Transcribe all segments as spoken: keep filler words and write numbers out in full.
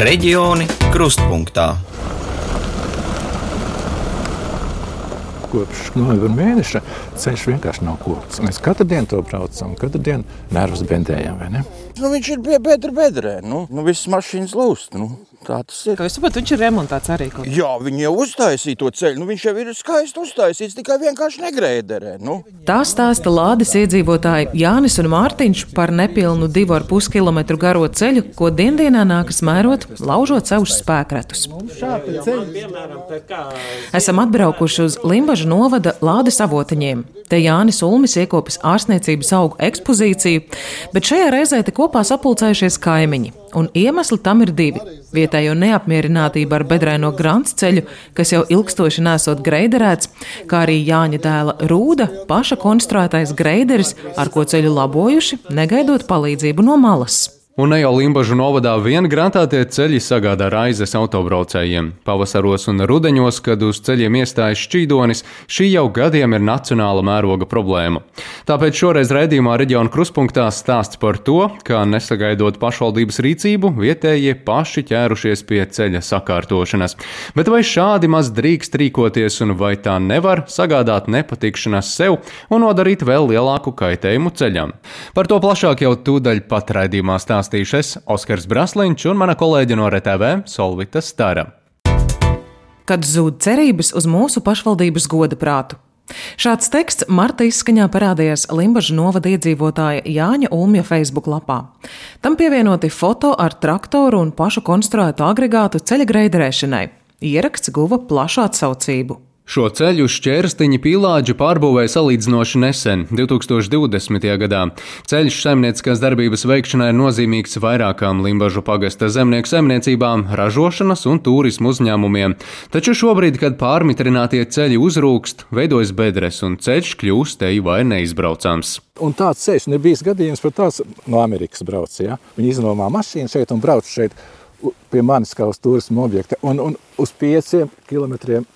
Reģioni krustpunktā. Kopš novembra mēneša ceļš vienkārši nav kopts. Mēs katru dienu to braucam, katru dienu nervus bendējam, vai ne? Nu, viņš ir bedra bedrē, nu, nu visas mašīnas lūst, nu, tā tas ir. Kā jūs saprotat, viņš ir remontēts arī kaut kā? Jā, viņi jau uztaisīja to ceļu, nu viņš jau ir skaisti uztaisīts, tikai vienkārši negrēderē, nu. Tā stāsta Lādes iedzīvotāji Jānis un Mārtiņš par nepilnu divu ar pus kilometru garo ceļu, ko diendienā nākas mērot, laužot savus spēkratus. Esam atbraukuši uz Limbažu novada Lādes avotiņiem. Te Jānis Ulmis iekopis ārstniecības augu ekspozīciju, bet šajā reizē te kopā sapulcējušies kaimiņi. Un iemesli tam ir divi. Vietējo neapmierinātība ar bedraino grants ceļu, kas jau ilgstoši nesot greiderēts, kā arī Jāņa dēla Rūda paša konstruētais greideris, ar ko ceļu labojuši, negaidot palīdzību no malas. Un ne jau Limbažu novadā vien grantātie ceļi sagādā raizes autobraucējiem. Pavasaros un rudeņos, kad uz ceļiem iestājas šķīdonis, šī jau gadiem ir nacionāla mēroga problēma. Tāpēc šoreiz raidījumā Reģionu krustpunktā stāsts par to, kā nesagaidot pašvaldības rīcību, vietējie paši ķērušies pie ceļa sakārtošanas. Bet vai šādi maz drīkst rīkoties un vai tā nevar sagādāt nepatikšanas sev un nodarīt vēl lielāku kaitējumu ceļam? Par to plašāk jau tūdaļ pat raidījumā stāstīt. Es, Oskars Brasliņš un mana kolēģe no R T V Solvita Stara. Kad zūd cerības uz mūsu pašvaldības goda prātu. Šāds teksts marta izskaņā parādījās Limbažu novada iedzīvotāja Jāņa Ulmja Facebook lapā. Tam pievienoti foto ar traktoru un pašu konstruētu agregātu ceļa greiderēšanai. Ieraksts guva plašu atsaucību. Šo ceļu Šķērstiņa Pīlāģi pārbūvēja salīdzinoši nesen, divtūkstoš divdesmitajā gadā. Ceļš saimnieciskās darbības veikšanai ir nozīmīgs vairākām Limbažu pagasta zemnieku saimniecībām, ražošanas un turismu uzņēmumiem. Taču šobrīd, kad pārmitrinātie ceļi uzrūkst, veidojas bedres un ceļš kļūst te vai neizbraucams. Un tāds ceļš nebijis gadījums, par tās no Amerikas brauc, ja? Viņi iznomā mašīnu šeit un brauc šeit pie manis kā uz turismu objekta un, un uz pieciem kilometriem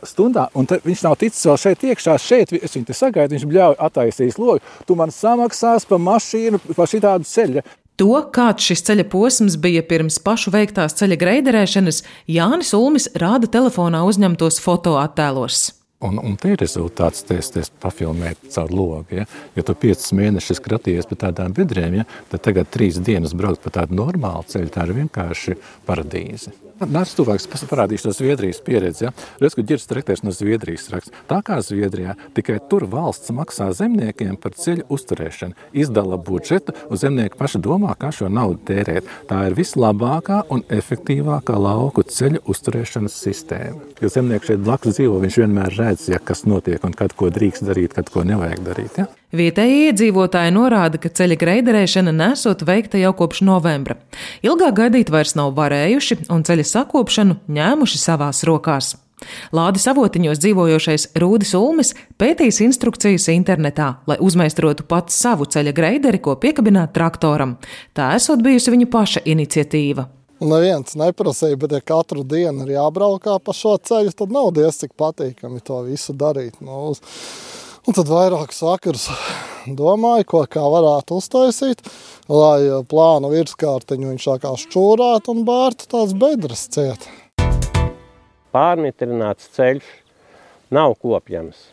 stundā, un viņš nav ticis vēl šeit iekšā, šeit es viņu te sagaidu, viņš bļauj attaisīs logu, tu man samaksās par mašīnu, par šitādu ceļu. To, kāds šis ceļa posms bija pirms pašu veiktās ceļa greiderēšanas, Jānis Ulmis rāda telefonā uzņemtos fotoattēlos. Un, un te ir rezultāts, te es pafilmēt caur logu, ja? Ja tu piecus mēnešus kratījies pa tādām bedrēm, ja? Tad tagad trīs dienas braukt pa tādu normālu ceļu, tā ir vienkārši paradīze. Nāc tuvāks, parādīšu no Zviedrijas pieredzi, ja? Redz, ka ģirs traktērs no Zviedrijas raksts. Tā kā Zviedrijā, tikai tur valsts maksā zemniekiem par ceļu uzturēšanu, izdala budžetu, un zemnieki paši domā, kā šo naudu tērēt. Tā ir vislabākā un efektīvākā lauku ceļu uzturēšanas sistēma. Jo zemnieki šeit blakus dzīvo, viņš vienmēr redz, ja kas notiek un kad ko drīkst darīt, kad ko nevajag darīt, ja? Vietējie iedzīvotāji norāda, ka ceļa greiderēšana nesot veikta jau kopš novembra. Ilgāk gaidīt vairs nav varējuši un ceļa sakopšanu ņēmuši savās rokās. Lādes avotiņos dzīvojošais Rūdis Ulmis pētīs instrukcijas internetā, lai uzmeistarotu pats savu ceļa greideri, ko piekabināt traktoram. Tā esot bijusi viņa paša iniciatīva. Neviens neprasīja, bet ja katru dienu ir jābraukā pa šo ceļu, tad nav diez cik patīkami to visu darīt. Nu, un tad vairākus vakarus domāju, ko kā varētu uztaisīt, lai plānu virskārtiņu viņš tā kā šķūrētu un bārtu tās bedres ciet. Pārmitrināts ceļš nav kopjams.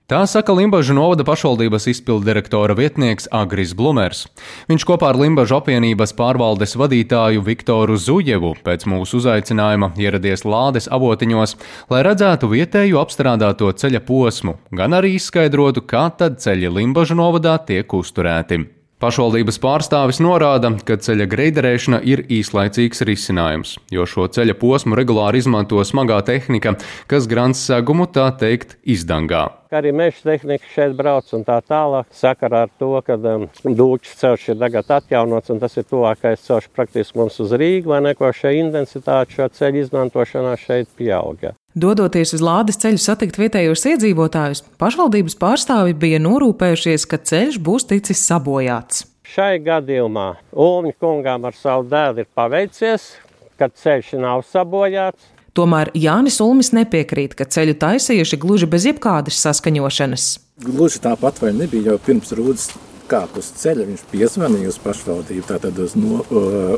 Tā saka Limbažu novada pašvaldības izpilddirektora vietnieks Agris Blumers. Viņš kopā ar Limbažu apvienības pārvaldes vadītāju Viktoru Zujevu pēc mūsu uzaicinājuma ieradies Lādes avotiņos, lai redzētu vietēju apstrādāto ceļa posmu, gan arī izskaidrotu, kā tad ceļi Limbažu novadā tiek uzturēti. Pašvaldības pārstāvis norāda, ka ceļa greiderēšana ir īslaicīgs risinājums, jo šo ceļa posmu regulāri izmanto smagā tehnika, kas grants segumu tā teikt izdangā. Arī meža tehnika šeit brauc un tā tālāk. Sakarā ar to, ka um, Dūķis ceļš ir tagad atjaunots un tas ir tuvākais ceļš praktiski mums uz Rīgu, vai neko šī intensitāte šo ceļu izmantošanā šeit pieauga. Dodoties uz Lādes ceļu satikt vietējos iedzīvotājus, pašvaldības pārstāvi bija norūpējušies, ka ceļš būs ticis sabojāts. Šai gadījumā Ulmja kungām ar savu dēlu ir paveicies, ka ceļš nav sabojāts. Tomēr Jānis Ulmis nepiekrīt, ka ceļu taisījuši gluži bez jebkādas saskaņošanas. Gluži tāpat vai nebija jau pirms Rūdas kāp uz ceļa, viņš piezvanīja uz pašvaldību, tātad uz, no,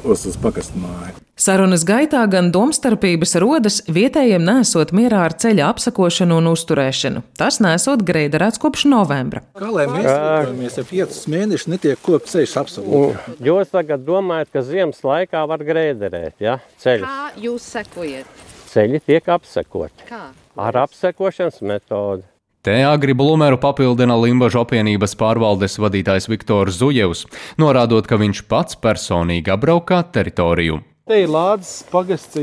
uz, uz pagastu māju. Sarunas gaitā gan domstarpības rodas vietējiem nesot mierā ar ceļa apsakošanu un uzturēšanu. Tas nesot greiderēts kopš novembra. Kā lai mēs rīkojamies, ja piecus mēnešus netiek kopt ceļš apsakots? Jūs tagad domājat, ka ziemas laikā var greiderēt, ja? Ceļus. Kā jūs sekojat? Ceļi tiek apsekoti. Kā? Ar apsekošanas metodi. Te Agri Blumeru papildina Limbažu apvienības pārvaldes vadītājs Viktors Zujevs, norādot, ka viņš pats personīgi apbraukā teritoriju. Te ir Lādes pagasts,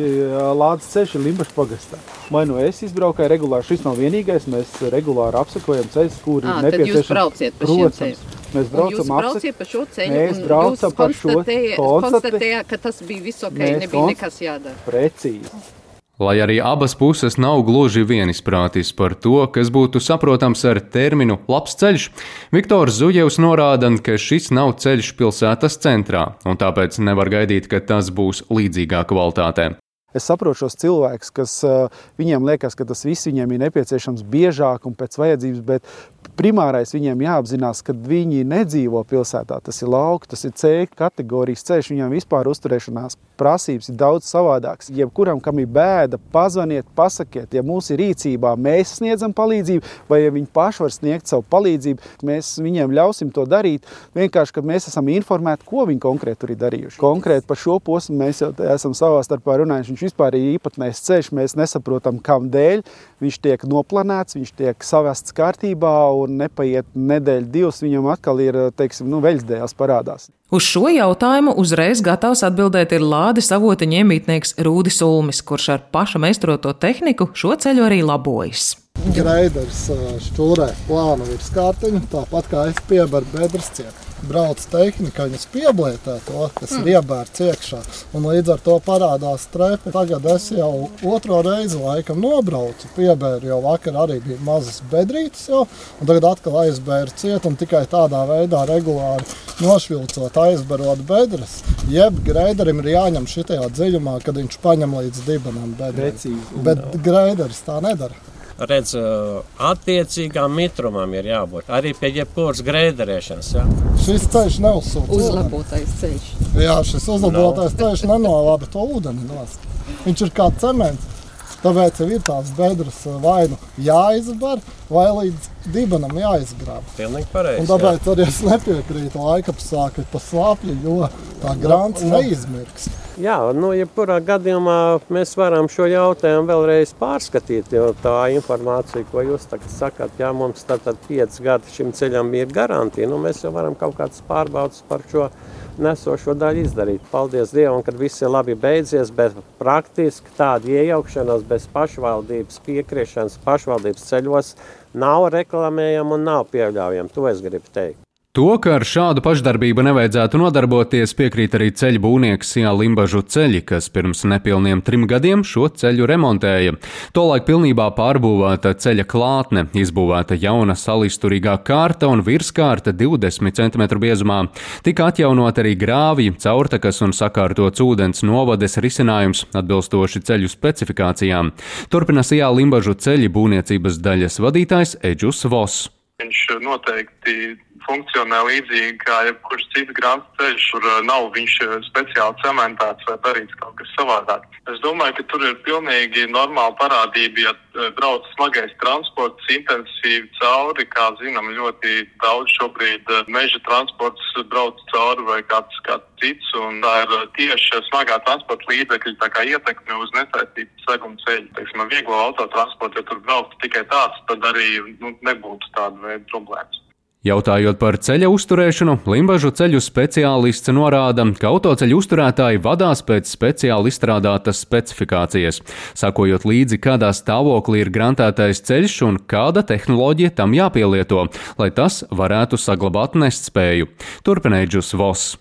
Lādes ceļš ir Limbažu pagastā. Vai nu es izbraukāju regulāri, šis nav vienīgais, mēs regulāri apsekojam ceļus, kuri à, ir nepieciešams. Tad jūs brauciet pa šiem ceļiem. Mēs braucam, jūs brauciet pa šo ceļu mēs un braucam jūs par šo konstatējāt, ka tas bija viss ok, mēs nebija nekas jādara. Precīzi. Lai arī abas puses nav gluži vienisprātis par to, kas būtu saprotams ar terminu labs ceļš, Viktors Zujevs norāda, ka šis nav ceļš pilsētas centrā, un tāpēc nevar gaidīt, ka tas būs līdzīgā kvalitātē. Es saprotu šos cilvēkus, kas viņiem liekas, ka tas viss viņiem ir nepieciešams biežāk un pēc vajadzības, bet primārais viņiem jāapzinās, ka viņi nedzīvo pilsētā. Tas ir lauka, tas ir C kategorijas ceļš, viņiem vispār uzturēšanās prasības ir daudz savādāks. Jebkuram, kam ir bēda, pazvaniet, pasakiet, ja mūs ir rīcībā, mēs sniedzam palīdzību, vai ja viņi paši var sniegt savu palīdzību, mēs viņiem ļausim to darīt, vienkārši, kad mēs esam informēti, ko viņi konkrēti tur ir darījuši. Konkrēti par šo posmu mēs jau esam savā starpā runājuši. Viņš vispār ir īpatnējs ceļš, mēs nesaprotam, kam dēļ. Viņš tiek noplanēts, viņš tiek savests kārtībā un nepaiet nedēļu divas, viņam atkal ir, teiksim, nu, veļsdējas parādās. Uz šo jautājumu uzreiz gatavs atbildēt ir Lādes avotiņa iemītnieks Rūdis Ulmis, kurš ar paša meistroto tehniku šo ceļu arī labojas. Greiders šķūrē plānu virskārtiņu, tāpat kā es piebaru bedres ciet. Brauc tehnika, viņas pieblietē to, kas mm. ir iebērts iekšā, un līdz ar to parādās strepi. Tagad es jau otro reizi laikam nobraucu, piebēru, jau vakar arī bija mazas bedrītes jau, un tagad atkal aizbēru ciet, un tikai tādā veidā regulāri nošvilcot, aizberot bedres, jeb greiderim ir jāņem šitajā dziļumā, kad viņš paņem līdz dibenam bedriem. Bet greiders tā nedara. Redz, attiecīgām mitrumam ir jābūt. Arī pie jebkuras greiderēšanas. Ja? Šis ceļš neuzsūta ūdeni. Uzlabotais ceļš. Jā, šis uzlabotais no. ceļš nenovada to ūdeni nost. Viņš ir kā cements. Tāpēc jau ir tās bedres vai nu jāizbar, vai līdz dibenam jāizgrāb. Pilnīgi pareizi. Un tāpēc arī es nepiekrītu laikapsākļi pa slāpļu, jo tā grants neizmirks. Jā, nu, jebkurā gadījumā mēs varam šo jautājumu vēlreiz pārskatīt, jo tā informācija, ko jūs tagad sakat, jā, mums tātad pieci gadi šim ceļam ir garantija, nu, mēs jau varam kaut kādas pārbaudas par šo nesošo daļu izdarīt. Paldies Dievam, kad viss ir labi beidzies, bet praktiski tāda iejaukšanās bez pašvaldības piekrišanas pašvaldības ceļos nav reklamējama un nav pieļaujama. To es gribu teikt. To, ka ar šādu pašdarbību nevajadzētu nodarboties, piekrīt arī ceļu būvnieks Sijā Limbažu ceļi, kas pirms nepilniem trim gadiem šo ceļu remontēja. Tolaik pilnībā pārbūvēta ceļa klātne, izbūvēta jauna salisturīgā kārta un virskārta divdesmit centimetru biezumā. Tika atjaunot arī grāvji, caurtakas un sakārtots ūdens novades risinājums atbilstoši ceļu specifikācijām. Turpina Sijā Limbažu ceļi būvniecības daļas vadītājs Eģus Voss. Viņš noteikti funkcionē līdzīgi kā jebkurš cits grāmatas ceļš, kur nav viņš speciāli cementēts vai darīts kaut kas savādāk. Es domāju, ka tur ir pilnīgi normāla parādība, ja brauc smagais transports intensīvi cauri, kā zinām, ļoti daudz šobrīd meža transports brauc cauri vai kāds, kāds cits, un tā ir tieši smagā transporta līdzekļa tā kā ietekme uz nesaistītu seguma ceļu. Teiksim, vieglo autotransportu, ja tur brauktu tikai tāds, tad arī nu, nebūtu tāda veida problēmas. Jautājot par ceļa uzturēšanu, Limbažu ceļu speciālists norāda, ka autoceļu uzturētāji vadās pēc speciāli izstrādātas specifikācijas, sakojot līdzi, kādā stāvoklī ir grantētais ceļš un kāda tehnoloģija tam jāpielieto, lai tas varētu saglabāt nestspēju. Turpina Eģus Voss.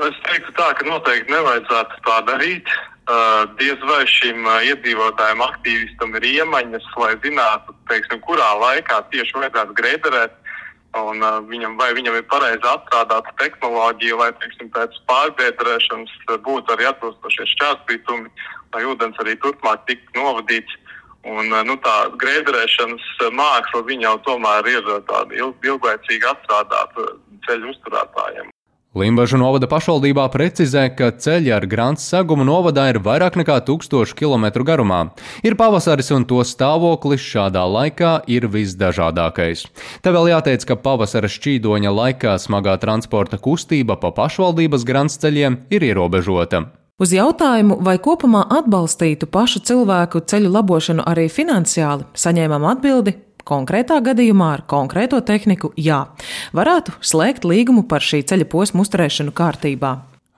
Es teiktu tā, ka noteikti nevajadzētu tā darīt. Uh, diez vai šim uh, iedzīvotājiem aktīvistam ir iemaņas, lai zinātu, teiksim, kurā laikā tieši vajadzētu greiderēt. Un uh, viņam, vai viņam ir pareizi atstrādāta tehnoloģija, lai, teiksim, pēc pārbiedrēšanas būtu arī atbilstošie šķērspītumi, lai ūdens arī turpmāk tiktu novadīts. Un, uh, nu, tā greiderēšanas māksla viņa jau tomēr ir tāda ilg, ilglaicīgi atstrādāta ceļu uzturētājiem. Limbažu novada pašvaldībā precizē, ka ceļi ar Grants segumu novadā ir vairāk nekā tūkstošu kilometru garumā. Ir pavasaris un to stāvoklis šādā laikā ir visdažādākais. Te vēl jāteic, ka pavasara šķīdoņa laikā smagā transporta kustība pa pašvaldības Grants ceļiem ir ierobežota. Uz jautājumu, vai kopumā atbalstītu pašu cilvēku ceļu labošanu arī finansiāli, saņēmām atbildi: konkrētā gadījumā ar konkrēto tehniku jā, varētu slēgt līgumu par šī ceļa posmu uzturēšanu kārtībā.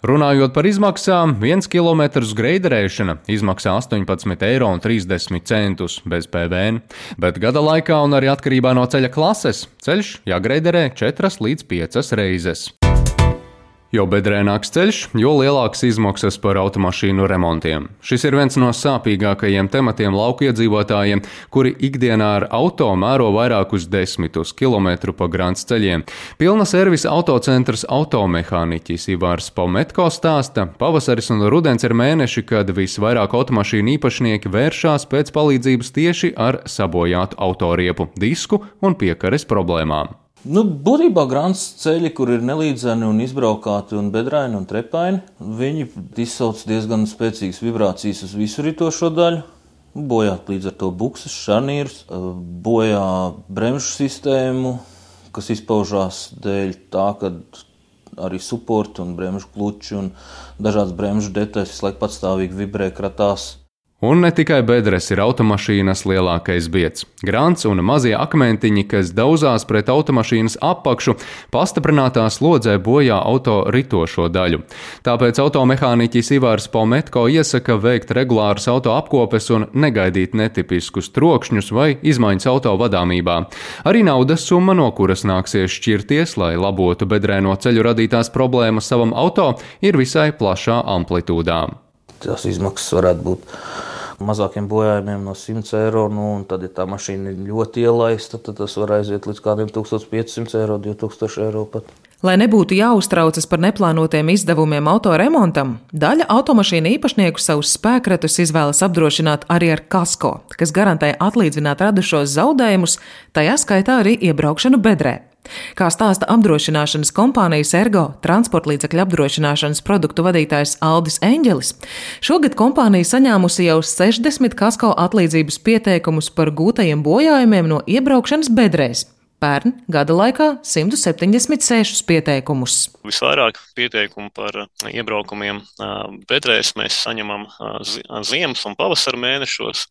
Runājot par izmaksām, viens kilometrs greiderēšana izmaksā astoņpadsmit eiro un trīsdesmit centus bez P V N, bet gada laikā un arī atkarībā no ceļa klases ceļš jāgreiderē četras līdz piecas reizes. Jo bedrēnāks ceļš, jo lielākas izmaksas par automašīnu remontiem. Šis ir viens no sāpīgākajiem tematiem lauku iedzīvotājiem, kuri ikdienā ar auto mēro vairākus desmitus kilometru pa Grants ceļiem. Pilna servisa autocentrs automehāniķis Ivārs Pometko stāsta, pavasaris un rudens ir mēneši, kad visvairāk automašīnu īpašnieki vēršās pēc palīdzības tieši ar sabojātu autoriepu, disku un piekares problēmām. Nu, būtībā Grants ceļi, kur ir nelīdzeni un izbraukāti un bedraini un trepaini, viņi izsauc diezgan spēcīgas vibrācijas uz visuritošo daļu, bojāt līdz ar to buksas, šarnīrus, bojā bremžu sistēmu, kas izpaužās dēļ tā, ka arī suporti un bremžu kluči un dažādas bremžu detaļas visu laiku patstāvīgi vibrē, kratās. Un ne tikai bedres ir automašīnas lielākais bieds. Grants un mazie akmentiņi, kas dauzās pret automašīnas apakšu, pastiprinātā slodzē bojā auto ritošo daļu. Tāpēc automehāniķis Ivārs Pometko iesaka veikt regulārus auto apkopes un negaidīt netipiskus trokšņus vai izmaiņas auto vadāmībā. Arī naudas summa, no kuras nāksies šķirties, lai labotu bedrēno ceļu radītās problēmas savam auto, ir visai plašā amplitūdā. Tās izmaksas varētu būt mazākiem bojājumiem no simts eiro, nu, un tad, ja tā mašīna ir ļoti ielaista, tad tas var aiziet līdz kādiem tūkstoš piecsimt eiro, divi tūkstoši eiro pat. Lai nebūtu jāuztraucas par neplānotiem izdevumiem autoremontam, daļa automašīnu īpašnieku savus spēkratus izvēlas apdrošināt arī ar kasko, kas garantē atlīdzināt radušos zaudējumus, tajā skaitā arī iebraukšanu bedrē. Kā stāsta apdrošināšanas kompānijas Ergo transportlīdzekļu apdrošināšanas produktu vadītājs Aldis Eņģelis, šogad kompānija saņēmusi jau sešdesmit kasko atlīdzības pieteikumus par gūtajiem bojājumiem no iebraukšanas bedrēs. Pērn gada laikā simt septiņdesmit sešus pieteikumus. Visvairāk pieteikumu par iebraukumiem bedrēs mēs saņemam ziemas un pavasara mēnešos,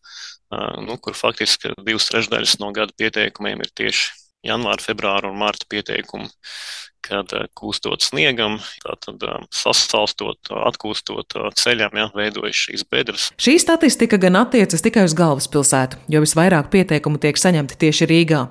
nu, kur faktiski divas trešdaļas no gada pieteikumiem ir tieši janvāra, februāra un marta pieteikumi, kad kūstot sniegam, tātad sasalstot, atkūstot ceļam, ja, veidojas šīs bedres. Šī statistika gan attiecas tikai uz galvaspilsētu, jo visvairāk pieteikumu tiek saņemti tieši Rīgā.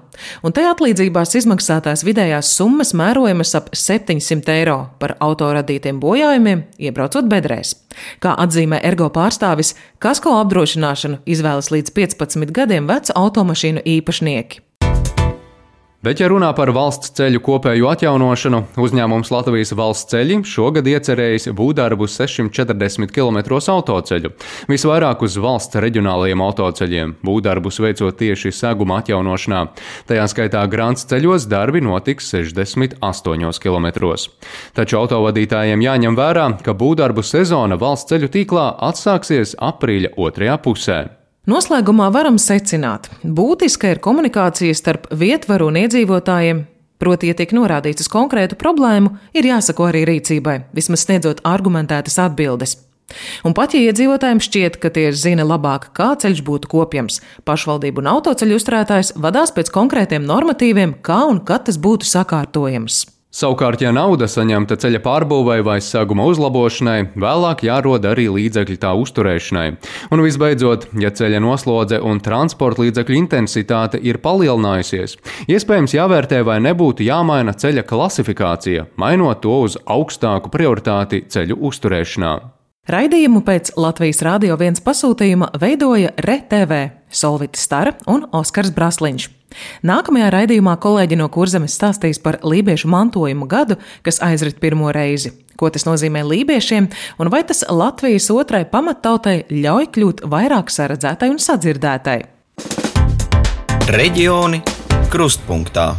Un te atlīdzībās izmaksātās vidējās summas mērojamas ap septiņsimt eiro par autoradītiem bojājumiem, iebraucot bedrēs. Kā atzīmē Ergo pārstāvis, kasko apdrošināšanu izvēlas līdz piecpadsmit gadiem vecu automašīnu īpašnieki. Bet, ja runā par valsts ceļu kopēju atjaunošanu, uzņēmums Latvijas valsts ceļi šogad iecerējis būvdarbus sešsimt četrdesmit kilometros autoceļu, visvairāk uz valsts reģionālajiem autoceļiem, būvdarbus veicot tieši seguma atjaunošanā. Tajā skaitā Grants ceļos darbi notiks sešdesmit astoņos kilometros. Taču autovadītājiem jāņem vērā, ka būvdarbu sezona valsts ceļu tīklā atsāksies aprīļa otrajā pusē. Noslēgumā varam secināt, būtiska ir komunikācija starp vietvaru un iedzīvotājiem, proti, ja tiek norādīts uz konkrētu problēmu, ir jāsako arī rīcībai, vismaz sniedzot argumentētas atbildes. Un pat ja iedzīvotājiem šķiet, ka tie zina labāk, kā ceļš būtu kopjams, pašvaldību un autoceļu uzturētājs vadās pēc konkrētiem normatīviem, kā un kad tas būtu sakārtojams. Savukārt, ja nauda saņemta ceļa pārbūvei vai seguma uzlabošanai, vēlāk jārod arī līdzekļi tā uzturēšanai. Un visbeidzot, ja ceļa noslodze un transporta līdzekļu intensitāte ir palielinājusies, iespējams jāvērtē, vai nebūtu jāmaina ceļa klasifikācija, mainot to uz augstāku prioritāti ceļu uzturēšanā. Raidījumu pēc Latvijas Rādio viens pasūtījuma veidoja R T V, Solvita Stara un Oskars Brasliņš. Nākamajā raidījumā kolēģi no Kurzemes stāstīs par lībiešu mantojumu gadu, kas aizrit pirmo reizi. Ko tas nozīmē lībiešiem un vai tas Latvijas otrai pamattautai ļauj kļūt vairāk saredzētai un sadzirdētai? Reģioni krustpunktā.